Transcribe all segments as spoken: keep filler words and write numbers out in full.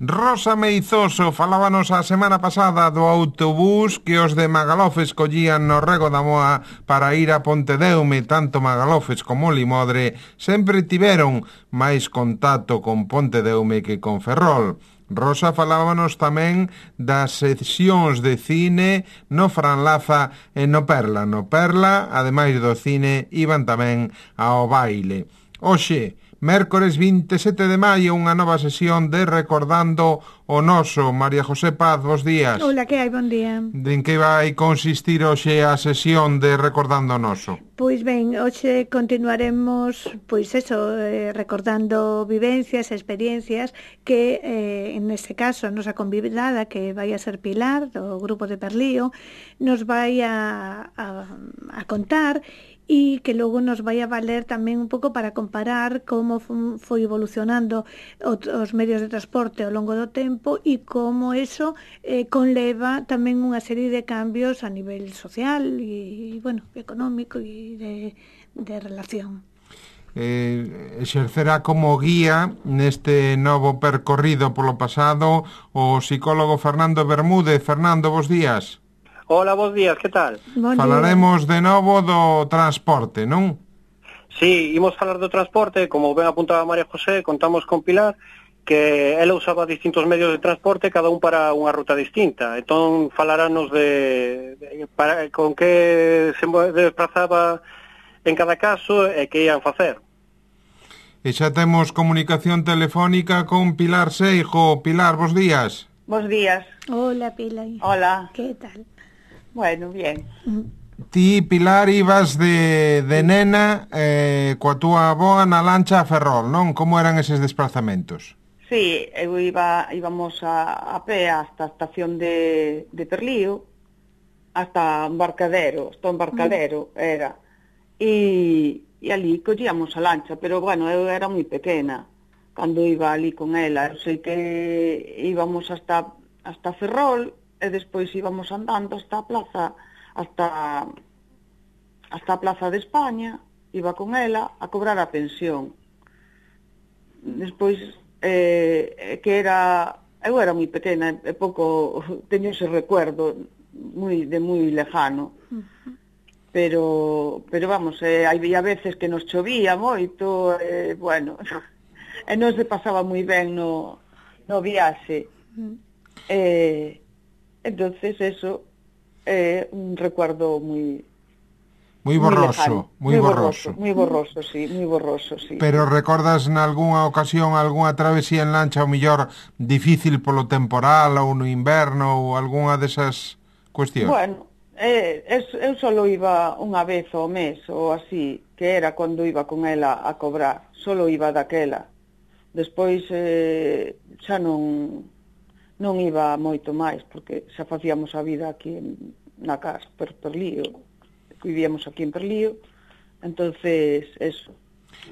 Rosa Meizoso falábanos a semana pasada do autobús que os de Magalofes collían no Rego da Moa para ir a Pontedeume. Tanto Magalofes como Limodre sempre tiveron máis contacto con Pontedeume que con Ferrol. Rosa falábanos tamén das sesións de cine no Franlaza e no Perla. No Perla, ademais do cine, iban tamén ao baile. Hoxe, mércores vinte e sete de maio, unha nova sesión de Recordando o Noso. María José Paz, bos días. Hola, que hai? Bon día. En que vai consistir hoxe a sesión de Recordando o Noso? Pois ben, hoxe continuaremos, pois eso, eh, recordando vivencias, experiencias que, eh, en este caso, a nosa convidada, que vai a ser Pilar, do grupo de Perlío, nos vai a, a, a contar e que logo nos vai a valer tamén un pouco para comparar como foi evolucionando os medios de transporte ao longo do tempo e como eso eh, conleva tamén unha serie de cambios a nivel social e, bueno, económico e de, de relación. Eh, exercerá como guía neste novo percorrido polo pasado o psicólogo Fernando Bermúdez. Fernando, bos días. Hola, bos días, que tal? Bon Falaremos de novo do transporte, non? Sí, imos falar do transporte, como ben apuntaba María José, contamos con Pilar, que ela usaba distintos medios de transporte, cada un para unha ruta distinta. Entón, falaranos de, de para, con que se desplazaba en cada caso e que ian facer. E xa temos comunicación telefónica con Pilar Seijo. Pilar, bos días. Bos días. Hola, Pilar. Hola. Que tal? Bueno, bien. Ti, Pilar, ibas de, de nena eh, coa túa avoa na lancha a Ferrol, non? Como eran eses desplazamentos? Sí, eu iba, íbamos a, a pé hasta a estación de, de Perlío, hasta Embarcadero, hasta Embarcadero mm. era, e, e ali collíamos a lancha, pero bueno, eu era moi pequena cando iba ali con ela. Eu sei que íbamos hasta, hasta Ferrol, e despois íbamos andando hasta a plaza, hasta, hasta a plaza de España, iba con ela a cobrar a pensión. Despois, eh, que era, eu era moi pequena, e pouco, teño ese recuerdo moi, de moi lejano, uh-huh. pero, pero vamos, eh, había veces que nos chovía moito, eh, bueno, e non se pasaba moi ben no, no viaxe. Uh-huh. Eh, Entonces eso é eh, un recuerdo moi moi borroso, moi borroso. Moi borroso, sí, moi borroso, sí. Pero recordas nalgúnha ocasión algunha travesía en lancha, ou mellor difícil polo temporal ou no inverno ou algunha desas cuestións? Bueno, eh, eu solo iba unha vez ao mes ou así, que era cando iba con ela a cobrar, solo iba daquela. Despois eh, xa non non iba moito máis, porque xa facíamos a vida aquí en, na casa, per Perlío, vivíamos aquí en Perlío, entonces, eso.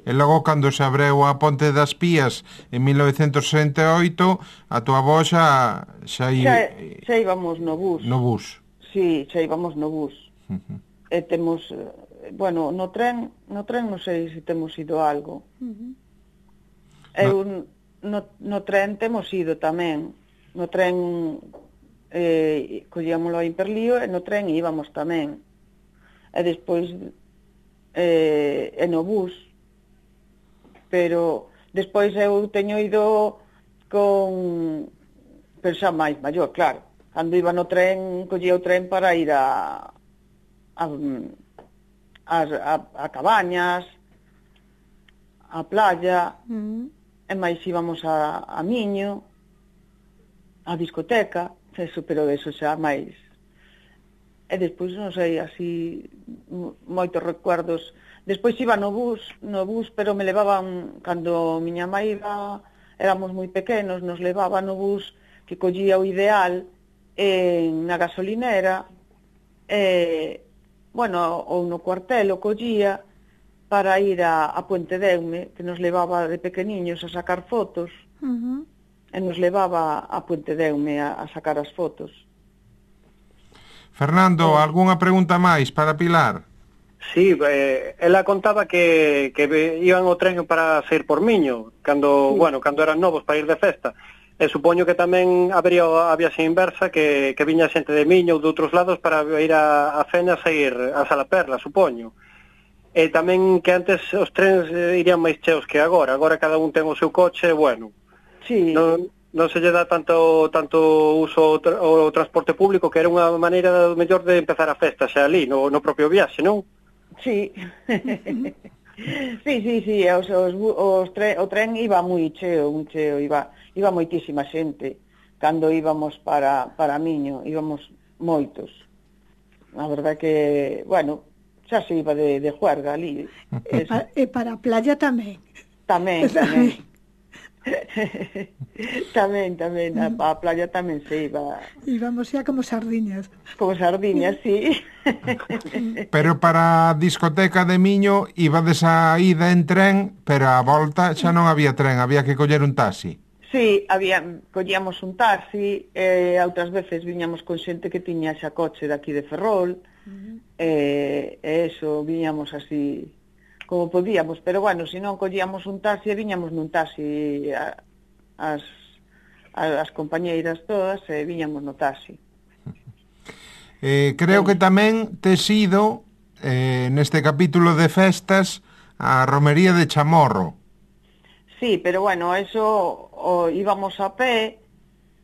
E logo, cando se abreu a Ponte das Pías en mil novecentos sesenta e oito, a tua avó xa... Xa, i... xa, xa íbamos no bus. No bus. Sí, xa íbamos no bus. Uh-huh. E temos, bueno, no tren, no tren non sei se temos ido algo. Uh-huh. Eu, no... no, no tren temos ido tamén. No tren eh, collíamolo en Perlío e no tren íbamos tamén. E despois eh, e no bus. Pero despois eu teño ido con... pero xa máis maior, claro. Cando iba no tren, collía o tren para ir a a, a, a, a Cabañas, a playa, mm. e máis íbamos a, a Miño, a discoteca, eso, pero eso xa máis. E despois, non sei, así, moitos recuerdos. Despois iba no bus, no bus, pero me levaban, cando miña mãe iba, éramos moi pequenos, nos levaba no bus que collía o Ideal en, na gasolinera, e, bueno, ou no cuartel o collía para ir a, a Pontedeume, que nos levaba de pequeniños a sacar fotos. Uh-huh. E nos levaba a Pontedeume a, a sacar as fotos. Fernando, eh. algunha pregunta máis para Pilar? Sí, eh, ela contaba que, que iban o tren para sair por Miño, cando, sí. bueno, cando eran novos para ir de festa. E supoño que tamén habería a viaxe inversa, que, que viña xente de Miño ou de outros lados para ir a, a Fene a sair a Salaperla, supoño. E tamén que antes os trens eh, irían máis cheos que agora. Agora cada un ten o seu coche, bueno. Sí. Non, non se lle dá tanto tanto uso ao transporte público, que era unha maneira mellor de empezar a festa xa ali, no, no propio viaxe, non? Sí. sí, sí, sí, os, os, os tre, o tren iba moi cheo, moi cheo, iba, iba moitísima xente. Cando íbamos para, para Miño, íbamos moitos. A verdade que, bueno, xa se iba de, de juerga ali. E, pa, e para a playa tamén. Tamén, tamén. tamén, tamén, a, a playa tamén se iba. Íbamos xa como sardiñas. Como sardiñas, sí. Pero para a discoteca de Miño ibades a ida en tren, pero a volta xa non había tren, había que coller un taxi. Sí, había, collíamos un taxi, e eh, outras veces viñamos con xente que tiña xa coche daqui de Ferrol, uh-huh. e, e eso, viñamos así como podíamos, pero bueno, se non collíamos un taxi, viñamos nun taxi a, as, a, as compañeiras todas, e viñamos no taxi. Eh, creo que tamén tes ido, eh, neste capítulo de festas, a romería de Chamorro. Sí, pero bueno, eso o, íbamos a pé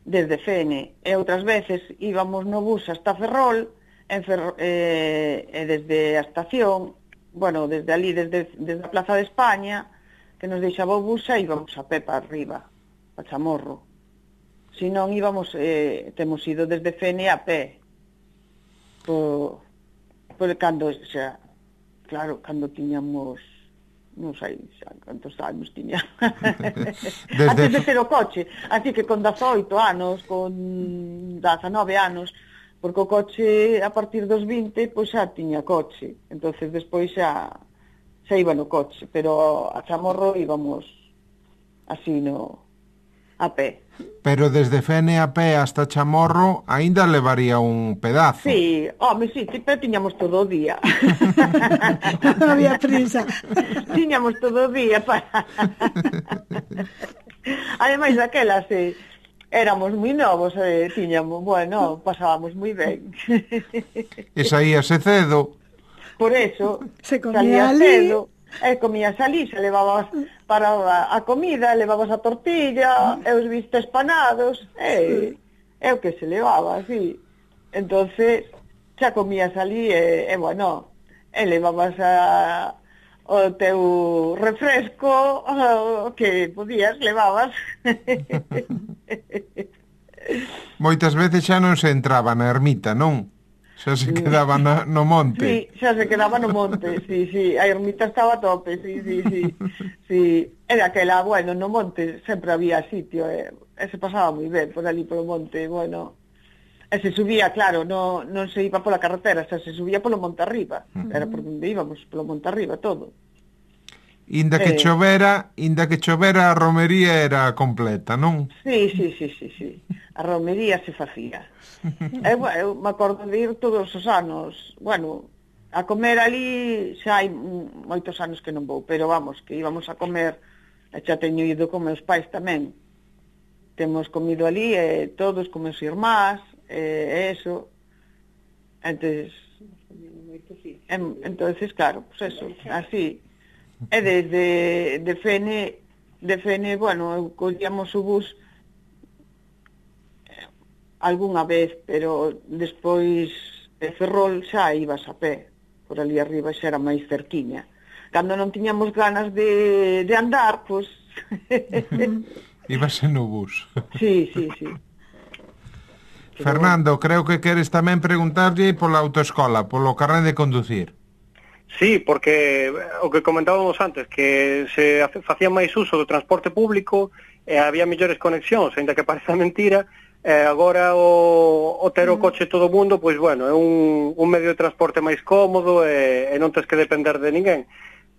desde Fene, e outras veces íbamos no bus hasta Ferrol, en Ferrol eh, e desde a estación, bueno, desde ali, desde, desde a Plaza de España, que nos deixaba o bus, e íbamos a pé para arriba, para Chamorro. Se non íbamos, eh, temos ido desde Fene a pé, por, por cando, xa, claro, cando tiñamos, non sei xa cantos anos tiña, desde... antes de ter o coche, así que con dezaoito anos, con dezanove anos, porque o coche a partir dos vinte pois xa tiña coche, entonces despois xa xa iba no coche, pero a Chamorro íbamos así no a pé. Pero desde Fene a pé hasta Chamorro aínda levaría un pedazo. Sí, home, sí, pero tiñamos todo o día. Non había prisa. Tiñamos todo o día para... Ademais daquelas, eh, éramos moi novos, eh, tiñamos, bueno, pasábamos moi ben. E saíase cedo. Por eso, se comía ali, cedo, e comías ali, se levabas para a comida, levabas a tortilla, e os vistes panados, e, e o que se levaba, así. Entonces, xa comías ali, e, e bueno, e levabas a... o teu refresco, o que podías, levabas. Moitas veces xa non se entraba na ermita, non? Xa se quedaba na, no monte. Sí, xa se quedaba no monte, sí, sí. A ermita estaba a tope, sí, sí, sí. Sí. Era aquela, bueno, no monte sempre había sitio, e, e se pasaba moi ben por ali, polo monte, bueno. E se subía, claro, no, non se iba pola carretera, xa se subía polo monte arriba. Uh-huh. Era por onde íbamos, polo monte arriba, todo. Inda que eh... chovera, inda que chovera a romería era completa, non? Sí, sí, sí, sí, sí. A romería se facía. eu, eu me acordo de ir todos os anos, bueno, a comer ali xa hai moitos anos que non vou, pero vamos, que íbamos a comer, e xa teño ido con meus pais tamén. Temos comido ali, e todos con meus irmás, e eso. Entonces, en, entonces claro, pues eso, así. E desde de Fene, de Fene, bueno, collíamos o bus algunha vez, pero despois de Ferrol xa ibas a pé, por ali arriba xa era máis cerquiña. Cando non tiñamos ganas de, de andar, pois... Ibase no bus. Sí, sí, sí. Fernando, creo que queres tamén preguntarlle pola autoescola, polo carné de conducir. Sí, porque o que comentábamos antes, que se facía máis uso do transporte público e había mellores conexións, ainda que pareza mentira, e agora o, o ter o coche todo o mundo, pois bueno, é un, un medio de transporte máis cómodo e, e non tens que depender de ninguén.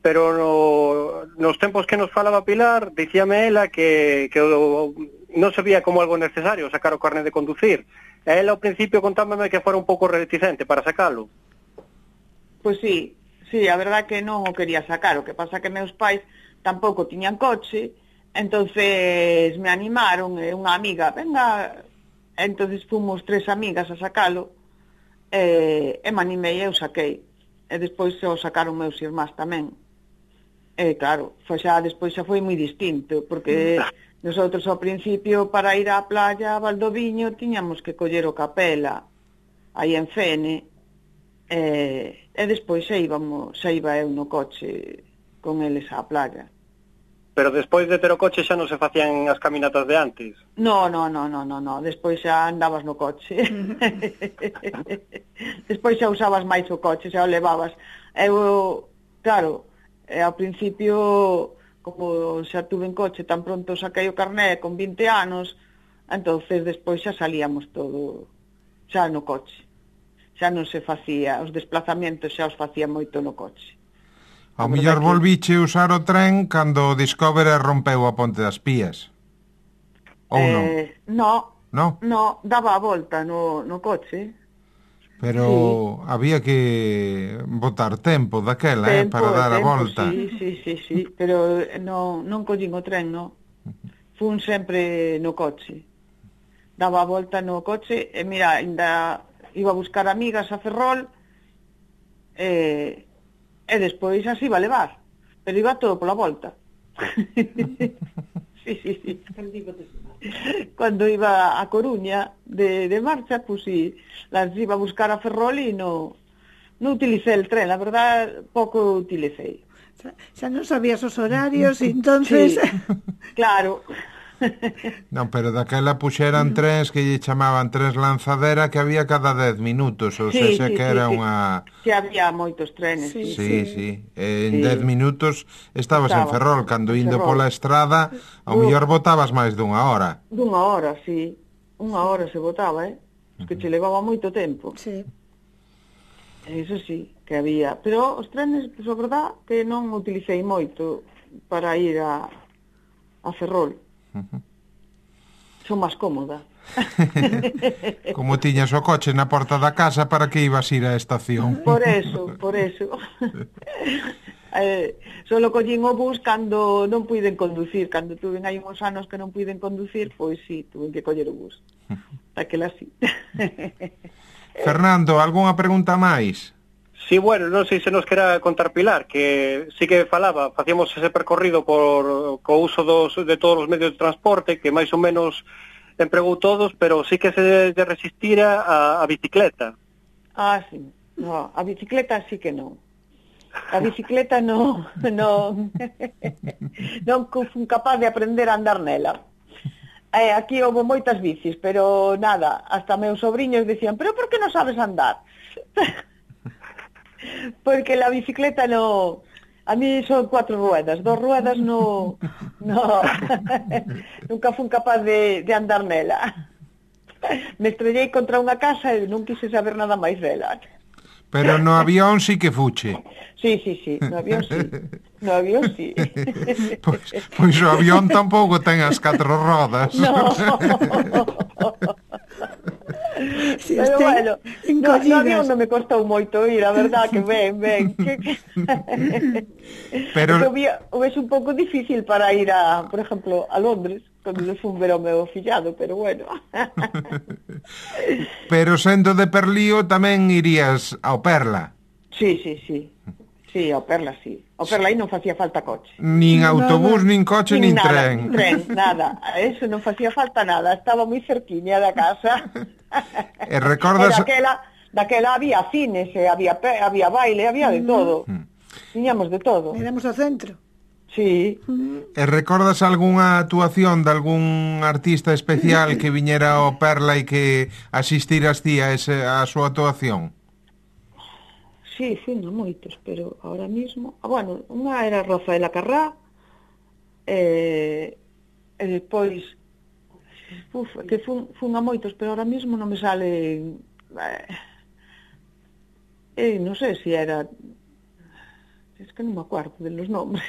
Pero no, nos tempos que nos falaba Pilar, dicíame ela que, que o, non se vía como algo necesario sacar o carné de conducir. E ela ao principio contábame que fora un pouco reticente para sacalo. Pois sí, sí, a verdad que non o quería sacar, o que pasa que meus pais tampouco tiñan coche, Entonces me animaron, e unha amiga, venga, entonces fomos tres amigas a sacalo, e, e me animei e eu saquei. E despois o sacaron meus irmás tamén. E claro, foi xa, despois xa foi moi distinto, porque nosotros ao principio para ir á playa a Valdoviño tiñamos que coller o Capela, aí en Fene, e, e despois xa íbamos, xa iba eu no coche con eles á playa. Pero despois de ter o coche xa non se facían as caminatas de antes? No, no, no, no, no, no. Despois xa andabas no coche. Despois xa usabas máis o coche, xa o levabas. Eu, claro, E ao principio, como xa tuve en coche, tan pronto saquei o carné con vinte anos, entonces despois xa salíamos todo xa no coche. Xa non se facía, os desplazamentos xa os facía moito no coche. Ao mellor volviche usar o tren cando o Discovery rompeu a Ponte das Pías. Ou non? Eh, no, no, no, daba a volta no, no coche. Pero sí, había que botar tempo daquela, tempo, eh, para dar tempo, a volta. Sí, sí, sí, sí, pero non, non collín o tren, non. Fun sempre no coche. Daba a volta no coche, e mira, ainda iba a buscar amigas a Ferrol, e, e despois así iba a levar, pero iba todo pola volta. Sí, sí, sí. Cuando iba a Coruña de, de marcha, pues sí, las iba a buscar a Ferrol y no, no utilicé el tren, la verdad, poco utilicé. Xa, xa non sabías os horarios, e entonces... Sí, claro. Non, pero daquela puxeran trens que lle chamaban trens lanzadera que había cada dez minutos, ou sí, seja sí, que era sí, unha... Sí, había moitos trenes. Sí, sí, sí, sí. En sí. dez minutos estabas Estaba, en Ferrol, cando indo Ferrol. pola estrada, ao mellor botabas máis dunha hora. Dunha hora, sí. Unha hora se botaba, eh? Es que che levaba moito tempo. Sí. Eso sí, que había. Pero os trenes, pues, a verdad, que non utilicei moito para ir a, a Ferrol. Uh-huh. Son máis cómoda. Como tiñas o coche na porta da casa, para que ibas ir á estación? Por eso, por eso. eh, solo collín o bus cando non puiden conducir. Cando tuven aí uns anos que non puiden conducir, pois sí, tuven que coller o bus. Daquela sí. Fernando, algunha pregunta máis? Sí, bueno, non sei se nos quera contar Pilar, que sí que falaba, facíamos ese percorrido por co uso dos, de todos os medios de transporte, que máis ou menos empregou todos, pero sí que se de resistira a, a bicicleta. Ah, sí. No, a bicicleta sí que non. A bicicleta non, non, non fun capaz de aprender a andar nela. Eh, aquí houve moitas bicis, pero nada, hasta meus sobriños decían, pero por que non sabes andar? Porque la bicicleta no... A mí son cuatro ruedas, dos ruedas no... no nunca fun capaz de, de andar nela. Me estrellei contra unha casa e non quise saber nada máis dela. Pero no avión sí que fuche. Sí, sí, sí, no avión sí. No avión sí. Pois, pois o avión tampouco ten as catro rodas. No. Si pero bueno, no, no avión non me costou moito ir, a verdad que ben, ben. Pero o ves un pouco difícil para ir a, por exemplo, a Londres, cando le fun ver ao meu fillado, pero bueno. Pero sendo de Perlío tamén irías ao Perla. Sí, sí, sí. Sí, ao Perla, sí. Ao Perla aí non facía falta coche. Nin autobús, nin coche, nin, nin nada, tren. Nin tren, nada. Eso non facía falta nada. Estaba moi cerquiña da casa. E recordas... E daquela, daquela había cines, había, había baile, había de todo. Mm. Tiñamos de todo. Éramos ao centro. Sí. E recordas algunha actuación de algún artista especial que viñera ao Perla e que asistiras ti a, ese, a súa actuación? Sí, fui no moitos, pero ahora mismo... Ah, bueno, unha era Rafaela Carrá, e, e depois... Uf, que fun, fun a moitos, pero ahora mismo non me sale... Eh, eh, non sei se era... Es que non me acuerdo de los nombres.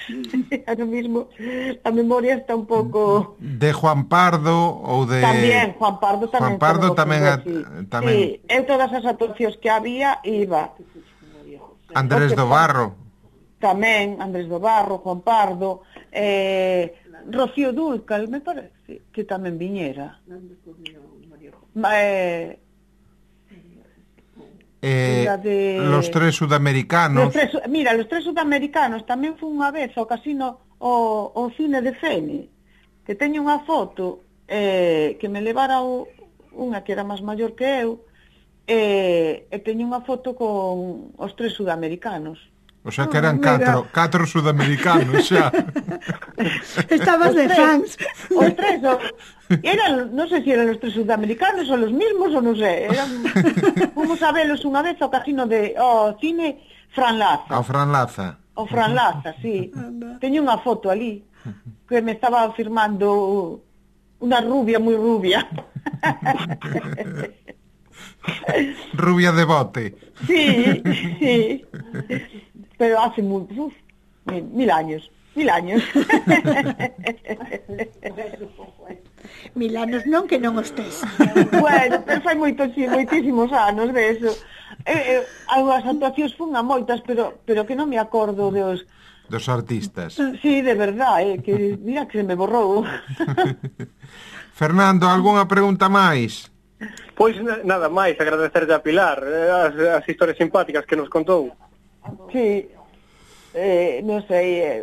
Ahora mismo a memoria está un pouco... De Juan Pardo ou de... Tamén, Juan Pardo tamén. Juan Pardo tamén, a, sí. tamén... Sí, eu todas as actuacións que había iba... Andrés do Barro. Tamén, Andrés do Barro, Juan Pardo, eh, Rocío Dúrcal, me parece que tamén viñera. Eh, Eh, de... Los tres sudamericanos. Los tres, mira, los tres sudamericanos tamén fue unha vez ao casino o, o cine de Fene, que teño unha foto eh, que me levara o, unha que era máis maior que eu, eh, e teño unha foto con os tres sudamericanos. O sea que eran catro, catro sudamericanos xa. Estabas de fans. Os tres, o, eran, non sei se eran os tres sudamericanos ou los mismos, ou non sei. Eran, fomos a velos unha vez ao casino de, ao cine Fran Laza. Ao Fran Laza. O Fran Laza, sí. Teño unha foto ali que me estaba firmando unha rubia moi rubia. Rubia de bote. Sí, sí. Pero hace muy, uf, mil, mil años, mil años. Mil anos non que non os tes. Bueno, pero fai moitos, sí, moitísimos anos de eso. Eh, eh, as actuacións fun a moitas, pero pero que non me acordo dos dos artistas. Sí, de verdad, eh, que mira que se me borrou. Fernando, algunha pregunta máis? Pois nada máis, agradecerlle a Pilar as, as historias simpáticas que nos contou. Sí, eh, non sei eh,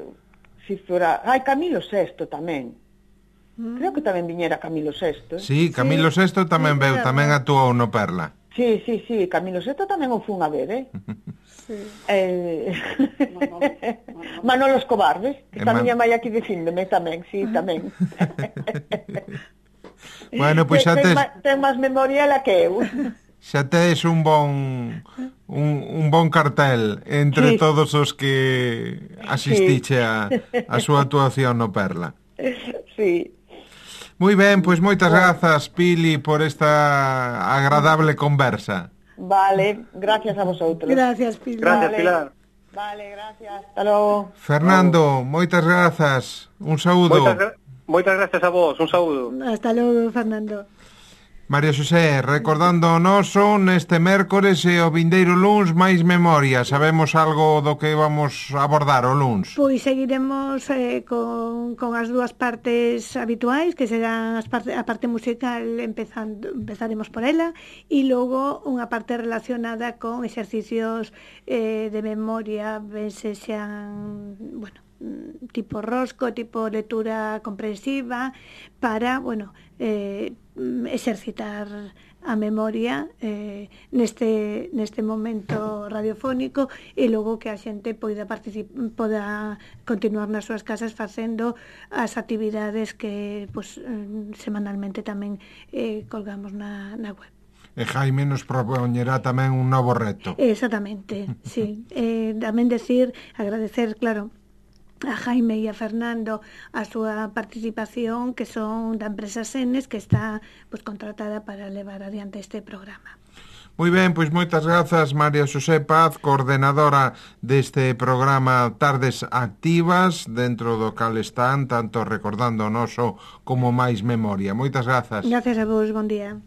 si fora... Ai, Camilo sexto tamén. Mm. Creo que tamén viñera Camilo sexto. Eh? Sí, Camilo sí. sexto tamén sí, veu, tamén actuou no Perla. Sí, sí, sí, Camilo sexto tamén o fun a ver, eh? Sí. Eh... Manolo Escobar, ves? Que está Man... miña mai aquí dicíndome tamén, sí, tamén. Bueno, pois xa tes... Ten máis memoria la que eu. Xa tes un bon un, un bon cartel entre sí. todos os que asistiche sí. a, a súa actuación no Perla. Sí. Moi ben, pois moitas grazas, Pili, por esta agradable conversa. Vale, gracias a vosotros. Gracias, Pilar. Gracias, vale. Pilar. Vale, gracias. Hasta logo. Fernando, moitas grazas. Un saúdo. Moitas, gra moitas gracias a vos. Un saúdo. Hasta logo, Fernando. María Xosé, recordando o noso neste mércores e o vindeiro luns máis memoria. Sabemos algo do que vamos abordar o luns? Pois seguiremos eh, con, con as dúas partes habituais, que serán as parte, a parte musical, empezando, empezaremos por ela, e logo unha parte relacionada con exercicios eh, de memoria, ben se xan, bueno, tipo rosco, tipo lectura comprensiva, para, bueno, eh, exercitar a memoria eh, neste, neste momento radiofónico, e logo que a xente poida poda continuar nas súas casas facendo as actividades que pues, semanalmente tamén eh, colgamos na, na web. E Jaime nos propoñerá tamén un novo reto. Exactamente, sí. Eh, tamén decir, agradecer, claro, a Jaime e a Fernando a súa participación, que son da empresa Senes, que está pues, contratada para levar adiante este programa. Moi ben, pois moitas grazas, María Xosé Paz, coordenadora deste programa Tardes Activas, dentro do cal están tanto recordando o noso como máis memoria. Moitas grazas. Gracias a vos, bon día.